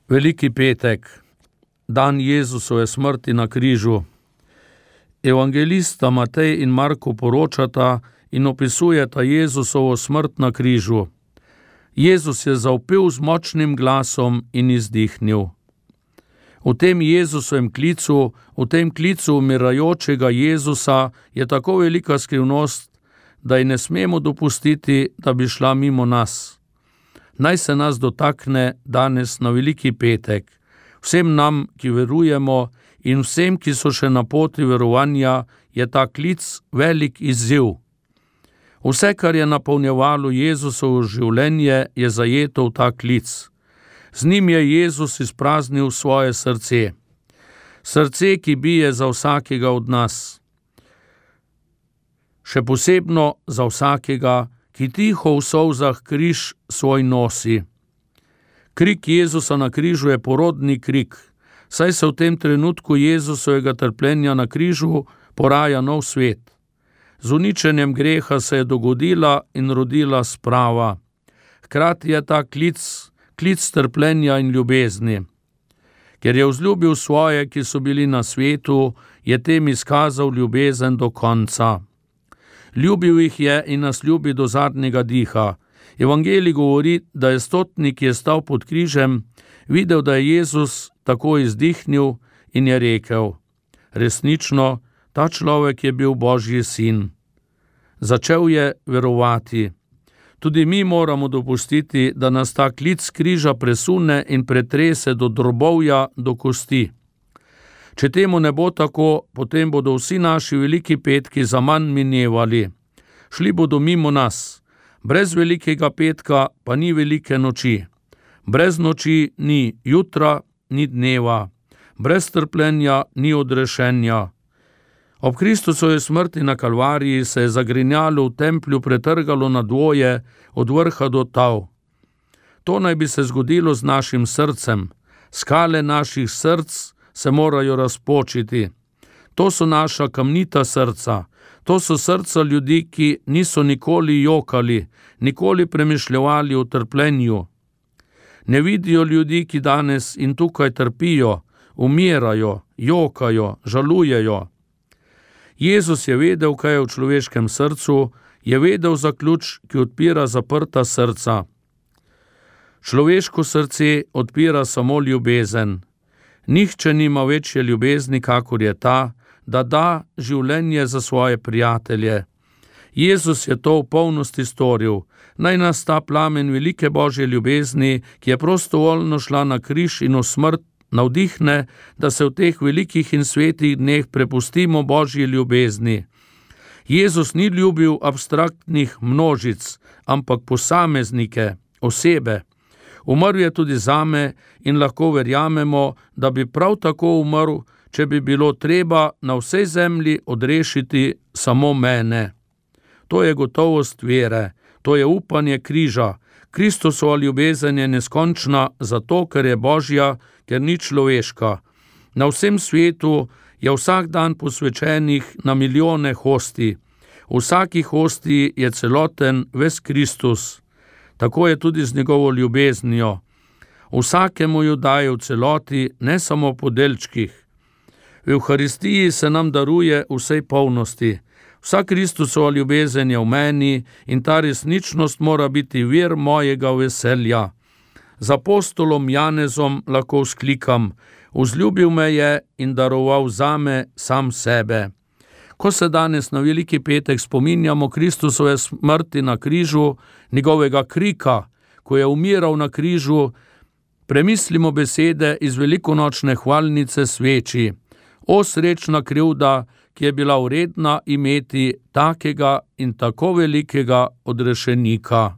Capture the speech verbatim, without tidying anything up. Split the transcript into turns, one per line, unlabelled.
Veliki petek, dan Jezusove smrti na križu. Evangelista Matej in Marko poročata in opisujeta Jezusovo smrt na križu. Jezus je zavpil z močnim glasom in izdihnil. V tem Jezusovem klicu, v tem klicu umirajočega Jezusa je tako velika skrivnost, da ji ne smemo dopustiti, da bi šla mimo nas. Naj se nas dotakne danes na veliki petek. Vsem nam, ki verujemo, in vsem, ki so še na poti verovanja, je ta klic velik izziv. Vse, kar je napolnjevalo Jezusovo življenje, je zajeto v ta klic. Z njim je Jezus izpraznil svoje srce. Srce, ki bije za vsakega od nas. Še posebno za vsakega, ki tiho v solzah križ svoj nosi. Krik Jezusa na križu je porodni krik, saj se v tem trenutku Jezusovega trpljenja na križu poraja nov svet. Z uničenjem greha se je dogodila in rodila sprava. Hkrati je ta klic, klic trpljenja in ljubezni. Ker je vzljubil svoje, ki so bili na svetu, je tem izkazal ljubezen do konca. Ljubil jih je in nas ljubi do zadnjega diha. Evangelij govori, da je stotnik, ki je stal pod križem, videl, da je Jezus tako izdihnil in je rekel: resnično, ta človek je bil Božji sin. Začel je verovati. Tudi mi moramo dopustiti, da nas ta klic križa presune in pretrese do drobovja, do kosti. Če temu ne bo tako, potem bodo vsi naši veliki petki zaman minevali. Šli bodo mimo nas. Brez velikega petka pa ni velike noči. Brez noči ni jutra, ni dneva. Brez trpljenja ni odrešenja. Ob Kristusovi smrti na Kalvariji se je zagrinjalo v templju pretrgalo na dvoje, od vrha do tal. To naj bi se zgodilo z našim srcem. Skale naših src se morajo razpočiti. To so naša kamnita srca. To so srca ljudi, ki niso nikoli jokali, nikoli premišljevali o trpljenju. Ne vidijo ljudi, ki danes in tukaj trpijo, umirajo, jokajo, žalujejo. Jezus je vedel, kaj je v človeškem srcu, je vedel za ključ, ki odpira zaprta srca. Človeško srce odpira samo ljubezen. Nihče nima večje ljubezni, kakor je ta, da da življenje za svoje prijatelje. Jezus je to v polnosti storil. Naj nas ta plamen velike Božje ljubezni, ki je prostovoljno šla na križ in v smrt, navdihne, da se v teh velikih in svetih dneh prepustimo Božji ljubezni. Jezus ni ljubil abstraktnih množic, ampak posameznike, osebe. Umrl je tudi zame in lahko verjamemo, da bi prav tako umrl, če bi bilo treba na vsej zemlji odrešiti samo mene. To je gotovost vere, to je upanje križa. Kristusova ljubezen je neskončna zato, ker je Božja, ker ni človeška. Na vsem svetu je vsak dan posvečenih na milijone hostij. V vsaki hostiji je celoten ves Kristus. Tako je tudi z njegovo ljubeznijo. Vsakemu jo daje v celoti, ne samo po delčkih. V Evharistiji se nam daruje vsej polnosti. Vsa Kristusova ljubezen je v meni in ta resničnost mora biti vir mojega veselja. Z apostolom Janezom lahko vzklikam: vzljubil me je in daroval zame sam sebe. Ko se danes na veliki petek spominjamo Kristusove smrti na križu, njegovega krika, ko je umiral na križu, premislimo besede iz velikonočne hvalnice sveči. O srečna krivda, ki je bila vredna imeti takega in tako velikega odrešenika.